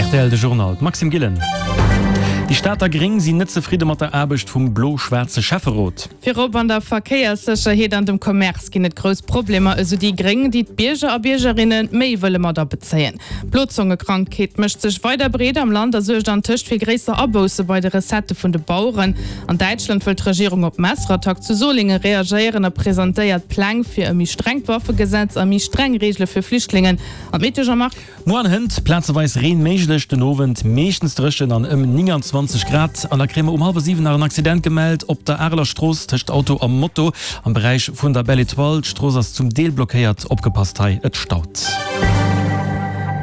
Rtl, de Journal, d'Maxime Gillen. Déi Stater Gréng sinn net zefridde mat der Aarbecht vum blo-schwaarze Schäfferot. Virop an der Verkéierssécherheet an dem Commerce ginn et grouss Problemer, esou déi Gréng, déi d'Bierger a Biergerinne méi wëlle mat abezéien. D'Blozongekrankheet mécht sech weider breet am Land a suergt antëscht fir gréisser Abousse bei de Recettë vun de Baueren. An Däitschland wëll d'Regierung op d'Messerattack zu Solingen reagéieren a presentéiert Pläng fir e méi strengt Waffegesetz a méi streng Reegele fir Flüchtlingen. An d'Meteo, Jean-Marc? Muer an hënt plazeweis Reen méiglech, den Owend meeschtens dréchen an ëm 29 Grad. An da kréie mer um hallwer 7 nach en Accident gemellt op der Areler Strooss tëscht Auto a Moto am Beräich vun der Belle Etoile. D'Strooss ass zum Deel blockéiert, opgepasst hei, et staut.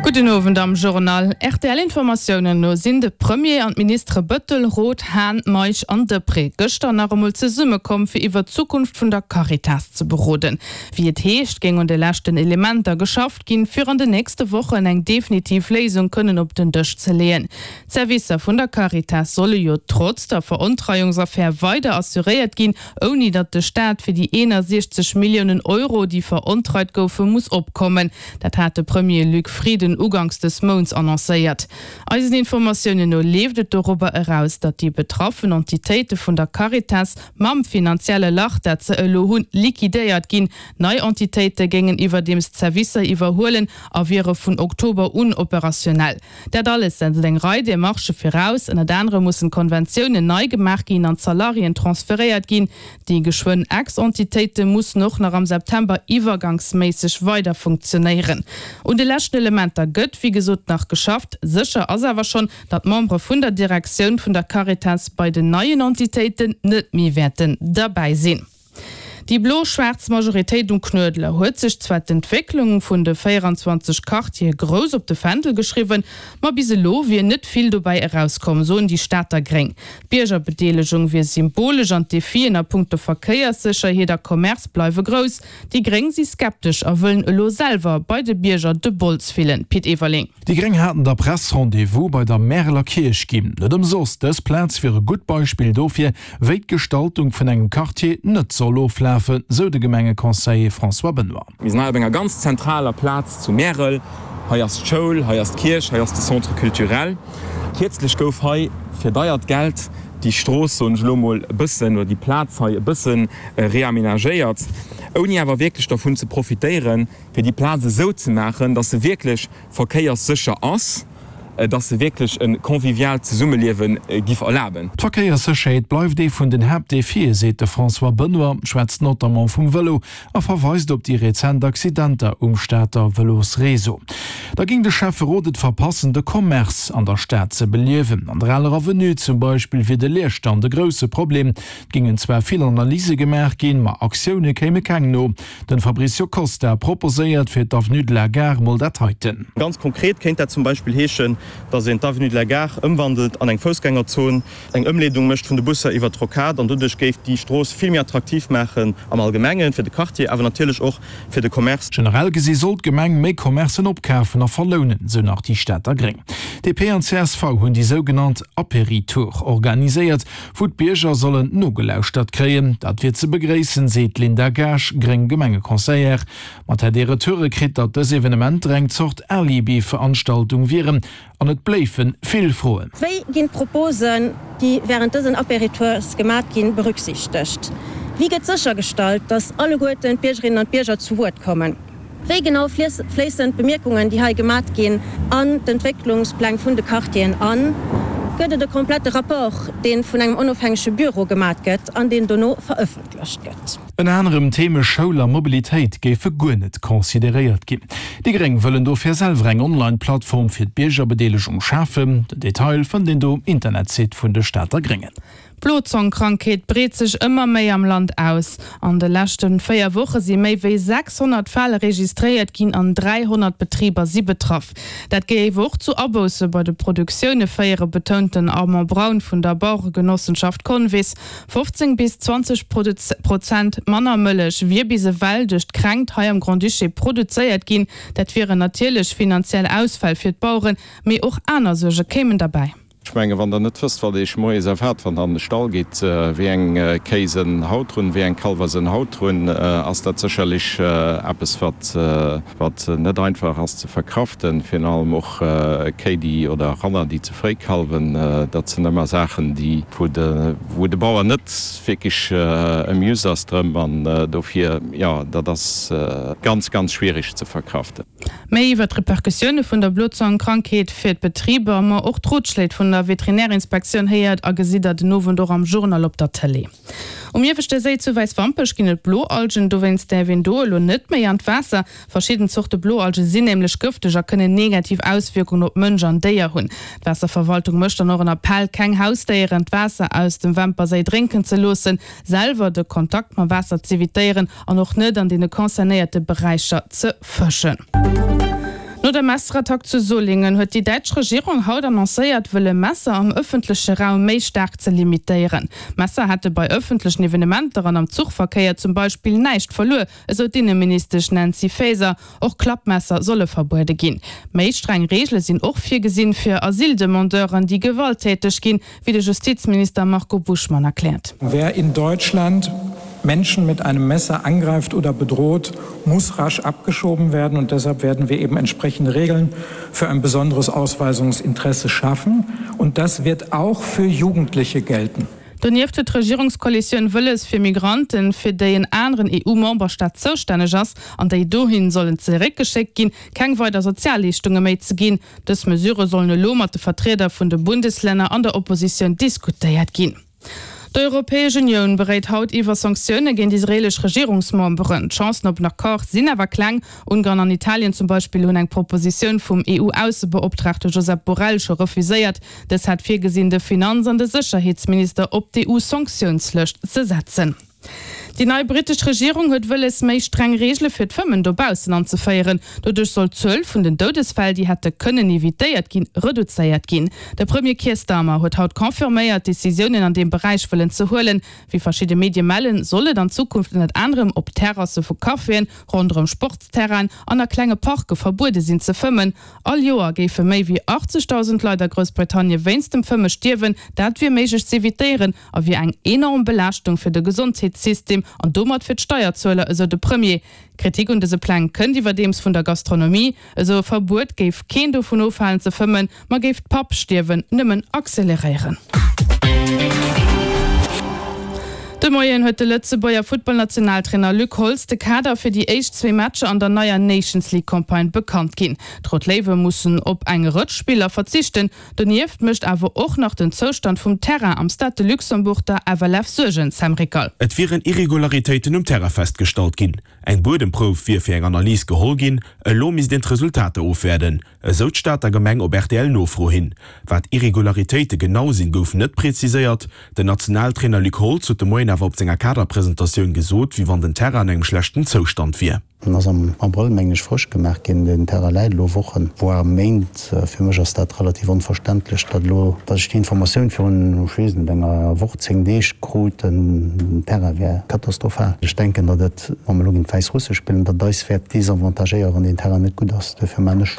Gudden Owend am Journal. RTL-Informatiounen no sinn de Premier an d'Ministere Bettel, Roth, Hahn, Meisch an Deprez gëschter nach emol zesummekomm, fir iwwer d'Zukunft vun der Caritas ze beroden. Wéi et heescht, géing un de leschten Elementer geschafft ginn, fir an den nächste Wochen eng definitiv Léisung kënnen op den Dësch ze leeën. D'Servicer vun der Caritas solle jo trotz der Verontreiungsaffär weider assuréiert ginn, ouni datt de Staat fir déi 61 Milliounen Euro, déi verontreit goufen, muss opkommen. Dat hat de Premier Luc Frieden uganks des Mounts annoncéiert. Eisen Informatiounen no leeft et dorobber eraus, datt déi betraffen Entitéite vun der Caritas mam finanzielle Lach, dat se elo hunn, liquidéiert ginn. Nei Entitéite géingen iwwerdeems d'Servicer iwwerhuelen a wiere vun Oktober un operationell. Dat alles setzt eng Rei Demarchë viraus. Ënnert anerem mussen d'Konventiounen nei gemaach ginn an d'Salariéen transferéiert ginn. Déi geschwënn Ex-Entitéite mussen och nach am September iwwergangsméisseg weider funktionéieren. Un de leschten Elementer gëtt, wéi gesot, nach geschafft. Sécher ass awer schonn, datt d'Membere vun der Direktioun vun der Caritas bei den neien Entitéiten net méi wäerten derbäi sinn. Déi blo-schwaarz Majoritéit um Knuedler huet sech zwar d'Entwécklung vun de 24 Quartiere grouss op de Fändel geschriwwen, ma bis elo wier net vill dobäi erauskomm, soen déi Stater Gréng. D'Biergerbedeelegung wier symbolesch an d'Defien a punkto Verkéierssécherheet a Commerce bleiwe grouss. Déi Gréng si skeptesch a wëllen elo selwer bei de Bierger de Bols fillen. Pit Everling. Déi Gréng haten der Press Rendez-vous bei der Märeler Kierch ginn. Net ëmsoss, dës Plaz wier e gutt Beispill dofir, wéi d'Gestaltung vun engem Quartier net soll oflafen, sou de Gemengeconseiller François Benoy. Mir sinn hei op enger ganz zentraler Plaz zu Märel. Hei ass d'Schoul, hei ass d'Kierch, hei ass de Centre culturel. Kierzlech gouf hei fir deiert Geld déi Strooss, soen ech elo mol, e bëssen, oder déi Plaz hei e bësse reamenagéiert, ouni awer wierklech dervun ze profitéieren, fir déi Plaz esou ze maachen, dass se wierklech verkéierssécher ass, dass se wierklech e conviviaalt Zesummeliewe giff erlaben. D'Verkéierssécherheet bleift ee vun den Haaptdefie, seet de François Benoy, schwätzt notamment vum Vëlo a verweist op déi rezent Accidenter um Stater Vëlosreseau. Da géing de Schäfferot et verpassen, de Commerce an der Stad ze beliewen. An der Aler Avenue zum Beispill wier de Leerstand e grousse Problem. Et géingen zwar vill Analyse gemaach ginn, ma Aktioune kéime keng no. Den Fabricio Costa proposéiert fir d'Avenue de la Gare mol dat heiten. Ganz konkret kéint dat zum Beispill heeschen, dass een d'Avenue de la Gare ëmwandelt an eng Foussgängerzon, eng Ëmleedung mécht vun de Busser iwwert d'Rocade an doduerch géif déi Strooss vill méi attraktiv maachen am Allgemengen fir de Quartier, awer natierlech och fir de Commerce. Generell gesi soll d'Gemeng méi Commercen opkafen a verlounen, sou nach déi Stater Gréng. DP an csv hunn déi sougenannt Apéritour organiséiert, wou d'Bierger sollen nogelauschtert kréien. Dat wier ze begréissen, seet d'Linda Gaasch, gréng Gemengeconseillère. Ma et hätt ee Retoure kritt, datt dës Evenementer eng Zort Alibi-Veranstaltung wieren an et bléife vill Froen. Wéi ginn d'Proposen, déi wärend dësen Apéritours gemat ginn, berücksichtegt? Wéi gëtt séchergestallt, datt alleguerten d'Biergerinnen an d'Bierger zu Wuert kommen? Wéi genau fléissen d'Bemierkungen, déi hei gemat ginn, an d'Entwécklungspläng vun de Quartieren an? Gëtt et e komplette Rapport, dee vun engem onofhängege Büro gemat gëtt an deen dono verëffentlecht gëtt? Ënner anerem d'Theme Schoul a Mobilitéit géife guer net consideréiert ginn. Déi Gréng wëllen dofir selwer eng Online-Plattform fir d'Biergerbedeelegung schafen. Den Detail fënnt een do um Internetsite vun de Stater Gréngen. D'Blozongkrankheet breet sech ëmmer méi am Land aus. An de leschte 4 Woche si méi wéi 600 Fäll registréiert ginn an 300 Betriber si betraff. Dat géif och zu Abousse bei de Produktioune féieren, betount den Armand Braun vun der Bauregenossenschaft Convis. 15 bis 20 Prozent manner Mëllech wier bis ewell duerch d'Kränkt hei am Grand-Duché produzéiert ginn. Dat wieren natierlech finanziell Ausfäll fir d'Baueren, mee och aner Suerge kéimen derbäi. Ech mengen, wann Der net wësst, wat Iech moies erwaart, wann Der an de Stall gitt, wéi eng Kéi se haut hunn, wéi eng Kallwer se haut hunn, ass dat sécherlech eppes, wat, wat net einfach ass ze verkraften. Virun allem och Kéi, déi, oder Ranner, déi ze fréi kalwen. Dat sinn ëmmer Saachen, déi, wou de, wou de Bauer net wierklech amused ass drëm. An dofir, jo, dat ass ganz, ganz schwierig ze verkraften. Méi iwwer d'Repercussioune vun der Blozongkrankheet fir d'Betriber, ma och d'Rotschléit vun der Veterinärinspektioun héiert a gesitt der den Owend och am Journal op der Tëlee. Um Ieweschte Séi zu Wäiswampech ginn et Bloalgen, dowéinst däerf een do elo net méi an d'Waasser. Verschidden Zorte Bloalge sinn nämlech gëfteg a kënnen negativ Auswierkungen op Mënsch an Déier hunn. D'Waasserverwaltung mécht dann och en Appell, keng Hausdéieren d'Waasser aus dem Wämper Séi drénken ze loossen, selwer de Kontakt mam Waasser z'evitéieren an och net an deene concernéierte Beräicher ze fëschen. No der Messerattack zu Solingen huet déi däitsch Regierung haut annoncéiert, wëlle Messer am ëffentleche Raum méi staark ze limitéieren. Messer hätte bei ëffentlechen Evenementer an am Zuchverkéier zum Beispill näischt verluer, esou d'Inneministesch Nancy Faeser. Och Klappmesser solle verbuede ginn. Méi streng Reegele sinn och virgesinn fir Asyldemandeuren, déi gewalttäteg ginn, wéi de Justizminister Marco Buschmann erkläert. Wer in Deutschland Menschen mit einem Messer angreift oder bedroht, muss rasch abgeschoben werden und deshalb werden wir eben entsprechende Regeln für ein besonderes Ausweisungsinteresse schaffen und das wird auch für Jugendliche gelten. Donieft huet d'Regierungskoalitioun wëlles, fir Migranten, fir déi en aneren EU-Memberstaat zoustänneg ass an déi dohin sollen zeréckgeschéckt ginn, keng weider Sozialleeschtunge méi ze ginn. Dës Mesure sollen elo mat de Vertrieder vun de Bundeslänner an der Oppositioun diskutéiert ginn. D'Europäesch Unioun beréit haut iwwer Sanktioune géint israeelesch Regierungsmemberen. D'Chancen op en Accord sinn awer kleng. Ungarn an Italien zum Beispill hunn eng Propositioun vum EU-Aussebeoptraagte Josep Borrell scho refuséiert. Dës hat virgesinn, de Finanz an de Sécherheetsminister op d'EU-Sanktiounslëscht ze setzen. Déi nei brittesch Regierung huet wëlles, méi streng Reegele fir d'Fëmmen dobaussen anzeféieren. Doduerch soll d'Zuel vun den Doudesfäll, déi hätte kënnen evitéiert ginn, reduzéiert ginn. De Premier Keir Starmer huet haut confirméiert, Decisiounen an deem Beräich wëllen ze huelen. Wéi verschidde Medie mellen, soll et an Zukunft ënnert anerem op Terrasse vu Caféen, ronderëm Sportsterrainen an a klenge Parke verbuede sinn ze fëmmen. All Joer géife méi wéi 80.000 Leit a Groussbritannie wéinst dem Fëmme stierwen. Dat wier méiglech z'evitéieren a wier eng enorm Belaaschtung fir de Gesondheetssystem an domat fir d'Steierzueler, esou de Premier. Kritik un dëse Pläng kënnt iwwerdeems vun der Gastronomie. Esou e Verbuet géif keen dovun ofhalen ze fëmmen, ma géif d'Pubstierwen nëmmen acceleréieren. De Moien huet de Lëtzebuerger Futtballnationaltrainer Luc Holtz de Kader fir déi éischt zwee Matcher an der neier Nations League Campagne bekannt ginn. D'Rout Léiwe mussen op eng Rëtsch Spiller verzichten. Donieft mécht awer och nach den Zoustand vum Terrain am Stade de Luxembourg der FLF Suergen, Sam Rickal. Et wieren Irregularitéiten um Terrain festgestallt ginn. Eng Buedemprouf wier fir eng Analys geholl ginn, elo misst een d'Resultater ofwäerden, esou d'Stater Gemeng op RTL-Nofro hin. Wat Irregularitéite genau sinn, gouf net preziséiert. Den Nationaltrainer Luc Holtz huet de Moien awer op senger Kaderpresentatioun gesot, wéi wann den Terrain an engem schlechten Zoustand wier. En ass am Abrëll, mengen ech, frësch gemaach ginn. Den Terrain läit elo Wochen, voire Méint. Fir mech ass dat relativ onverständlech, datt elo, datt ech déi Informatioun virun, ech weess net, enger Woch, 10 Deeg krut, den Terrain wär katastrophal. Ech denken, datt et, wa mer elo géint d'Wäissrusse spillen, datt et eis wäert desavantagéieren, wann deen Terrain net gutt ass. Duerfir maachen ech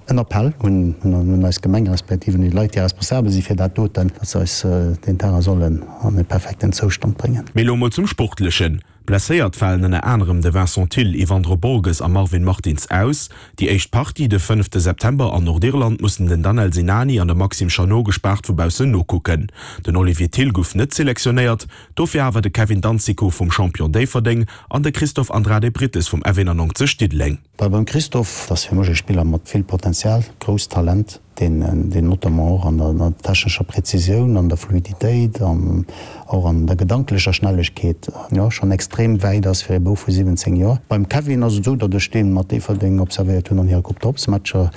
en Appell un un eis Gemeng, respektiv un déi Leit, déi responsabel si fir dat doten, datt se eis deen Terrain sollen an e perfekten Zoustand bréngen. Mee elo mol zum Sportlechen. Blesséiert falen ënner anerem de Vincent Thill, Yvandro Borges a Marvin Martins aus. Déi éischt Partie de fënnefte September an Nordirland mussen den Danel Sinani an de Maxime Chanot gespaart vu baussen nokucken. Den Olivier Thill gouf net selektionéiert, dofir awer de Kevin Danzico vum Champion Déifferdeng an de Christophe Andrade Brites vum F91 Diddeleng. Beim Christophe, dat ass fir mech e Spiller mat vill Potenzial, grousst Talent. deen deen notamment och an der technescher Präzisioun, an der Fluiditéit an och an der gedanklecher Schnellegkeet, jo, schonn extrem wäit ass fir ee Bouf vu 17 Joer. Beim Kevin ass et esou, datt ech dee mat Déifferdeng observéiert hunn an hire Coupe d'Europe-Matcher,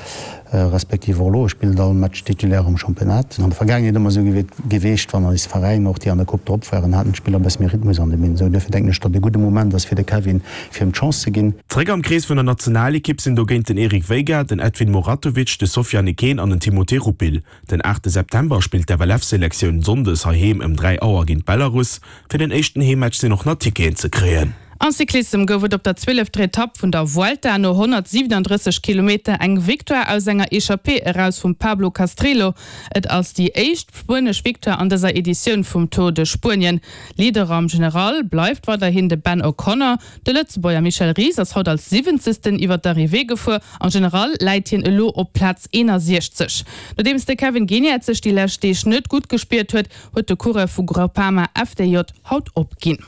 respektiv och elo, e spillt all Match titulaire am Championnat. An der Vergaangenheet ëmmer esou geweecht, wann eis Veräiner, och déi an der Coupe drop waren, haten d'Spiller e bësse méi Rhythmus an de Been. Esou duerfir denken ech, datt e gudde Moment ass fir de Kevin, fir him d'Chance ze ginn. Zréck am Krees vun der Nationalekipp sinn dogéint den Eric Veiga, den Edvin Muratovic, de Sofiane Ekeen an den Timothé Rupil. Den aachte September spillt d'FLF-Selektioun sonndes heiheem ëm 3 Auer géint Belarus. Fir den éischten Heemmatch sinn och nach Ticketen ze kréien. Am Cyclissem gouf et op der zwielefter Etapp vun der Vuelta no 137 Kilometer eng Victoire aus enger Echappée eraus vum Pablo Castrillo. Et ass déi éischt spuenesch Victoire an dëser Editioun vum Tour de Spuenien. Leader am General bleift weiderhin de Ben O'Connor. De Lëtzebuerger Michel Ries ass haut als siwwenzegsten iwwer d'Arrivée gefuer. Am General läit hien elo op Plaz 61. Nodeems de Kevin Geniets sech déi lescht Deeg net gutt gespiert huet, huet de Coureur vu Groupama FDJ haut opginn.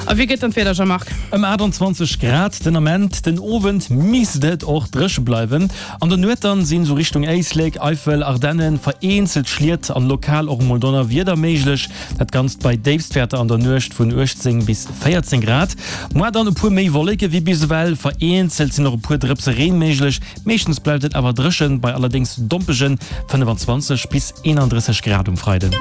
A wéi gëtt dann d'Wieder, Jean-Marc? Ëm 28 Grad den Ament, den Owend misst et och dréche bleiwen. An der Nuet dann sinn sou Richtung Éislek, Eifel, Ardennen vereenzelt Schliet an lokal och emol Donnerwieder méiglech. Dat Ganzt bei Déifstwäerter an der Nuecht vun 18 bis 14 Grad. Moar dann e puer méi Wolleke wéi bis ewell, vereenzelt sinn och e puer Drëpse Reen méiglech. Meeschtens bleift et awer dréchen, bei allerdéngs dompegen 25 bis 31 Grad um Freiden.